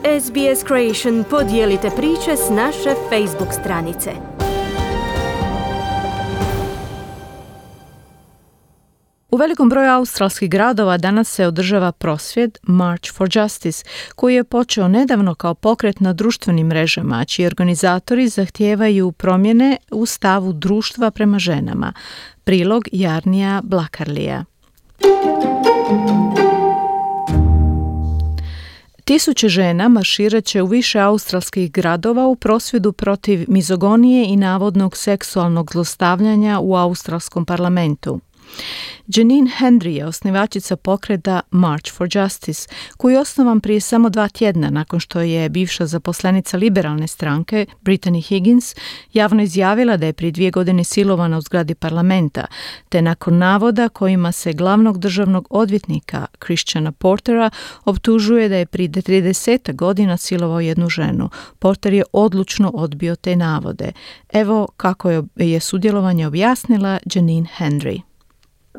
SBS Creation podijelite priče s naše Facebook stranice. U velikom broju australskih gradova danas se održava prosvjed March for Justice, koji je počeo nedavno kao pokret na društvenim mrežama, čiji organizatori zahtijevaju promjene u stavu društva prema ženama. Prilog Jarnija Blakarlija. Tisuće žena marširat će u više australskih gradova u prosvjedu protiv mizogonije i navodnog seksualnog zlostavljanja u australskom parlamentu. Janine Hendry je osnivačica pokreta March for Justice, koji je osnovan prije samo 2 tjedna nakon što je bivša zaposlenica liberalne stranke Brittany Higgins javno izjavila da je prije 2 godine silovana u zgradi parlamenta, te nakon navoda kojima se glavnog državnog odvjetnika Christiana Portera optužuje da je prije 30 godina silovao jednu ženu. Porter je odlučno odbio te navode. Evo kako je sudjelovanje objasnila Janine Hendry.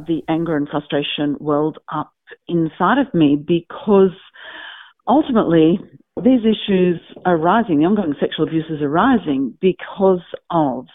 The anger and frustration welled up inside of me because ultimately these issues are rising, the ongoing sexual abuses are rising because of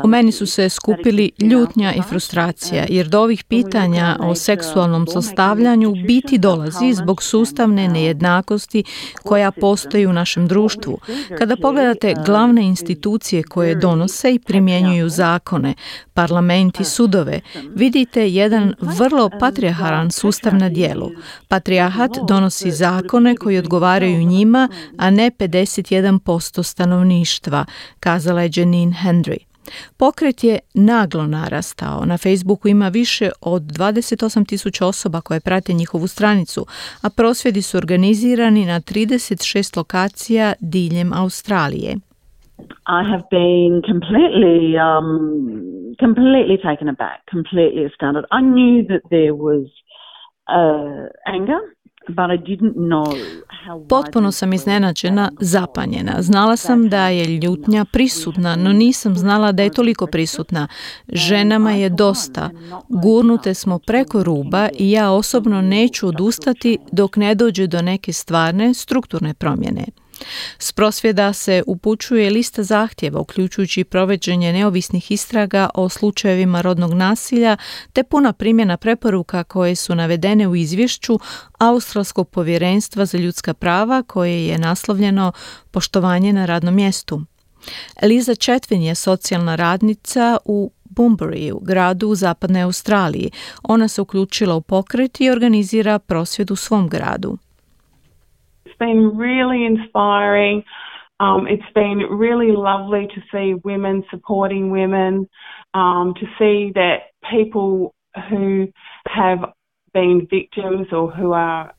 U meni su se skupili ljutnja i frustracija, jer do ovih pitanja o seksualnom zlostavljanju biti dolazi zbog sustavne nejednakosti koja postoji u našem društvu. Kada pogledate glavne institucije koje donose i primjenjuju zakone, parlament i sudove, vidite jedan vrlo patrijarhalan sustav na djelu. Patrijarhat donosi zakone koji odgovaraju njima, a ne 51% stanovništva, kazala je Janine Hendry. Pokret je naglo narastao. Na Facebooku ima više od 28.000 osoba koje prate njihovu stranicu, a prosvjedi su organizirani na 36 lokacija diljem Australije. I have been completely taken aback, completely astounded. I knew that there was anger. Potpuno sam iznenađena, zapanjena. Znala sam da je ljutnja prisutna, no nisam znala da je toliko prisutna. Ženama je dosta. Gurnute smo preko ruba i ja osobno neću odustati dok ne dođe do neke stvarne, strukturne promjene. S prosvjeda se upućuje lista zahtjeva, uključujući provođenje neovisnih istraga o slučajevima rodnog nasilja, te puna primjena preporuka koje su navedene u izvješću Australskog povjerenstva za ljudska prava, koje je naslovljeno Poštovanje na radnom mjestu. Liza Chetwin je socijalna radnica u Bunbury, gradu u zapadnoj Australiji. Ona se uključila u pokret i organizira prosvjed u svom gradu. It's been really inspiring. It's been really lovely to see women supporting women, to see that people who have been victims or who are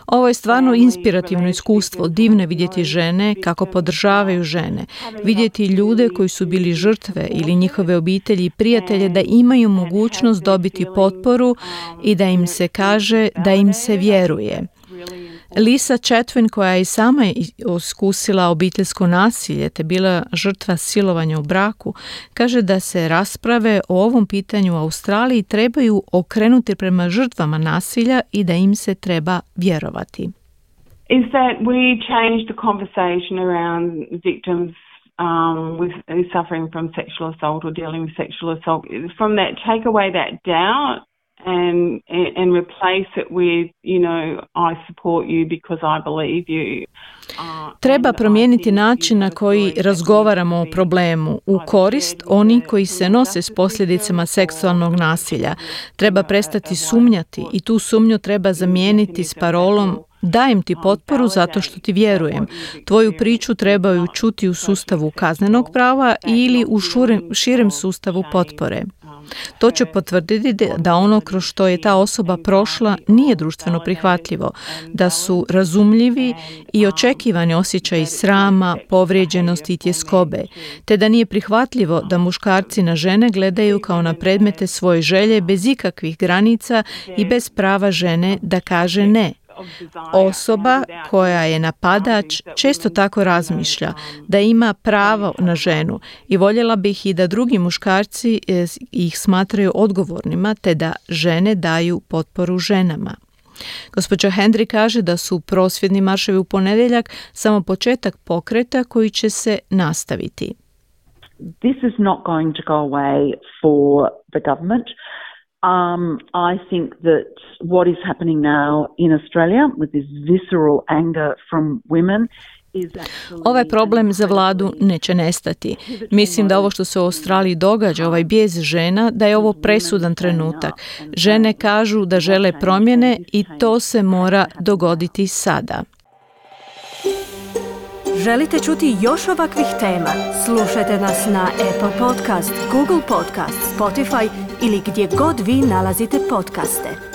Ovo je stvarno inspirativno iskustvo, divno je vidjeti žene kako podržavaju žene, vidjeti ljude koji su bili žrtve ili njihove obitelji i prijatelje da imaju mogućnost dobiti potporu i da im se kaže da im se vjeruje. Lisa Chetwin, koja je i sama iskusila obiteljsko nasilje te bila žrtva silovanja u braku, kaže da se rasprave o ovom pitanju u Australiji trebaju okrenuti prema žrtvama nasilja i da im se treba vjerovati. Is that we change the conversation around victims with suffering from sexual assault or dealing with sexual assault, from that take away that doubt and replace it with, you know, I support you because I believe you. Treba promijeniti način na koji razgovaramo o problemu u korist onih koji se nose s posljedicama seksualnog nasilja. Treba prestati sumnjati i tu sumnju treba zamijeniti s parolom dajem ti potporu zato što ti vjerujem. Tvoju priču trebaju čuti u sustavu kaznenog prava ili u širem sustavu potpore. To će potvrditi da ono kroz što je ta osoba prošla nije društveno prihvatljivo, da su razumljivi i očekivani osjećaji srama, povrijeđenosti i tjeskobe, te da nije prihvatljivo da muškarci na žene gledaju kao na predmete svoje želje bez ikakvih granica i bez prava žene da kaže ne. Osoba koja je napadač često tako razmišlja da ima pravo na ženu i voljela bih i da drugi muškarci ih smatraju odgovornima te da žene daju potporu ženama. Gospođa Hendry kaže da su prosvjedni marševi u ponedjeljak samo početak pokreta koji će se nastaviti. This is not going to go away for the government. I think that what is happening now in Australia with this visceral anger from women. Ovaj problem za vladu neće nestati. Mislim da ovo što se u Australiji događa, ovaj bijes žena, da je ovo presudan trenutak. Žene kažu da žele promjene i to se mora dogoditi sada. Želite čuti još ovakvih tema? Slušajte nas na Apple Podcast, Google Podcast, Spotify ili gdje god vi nalazite podcaste.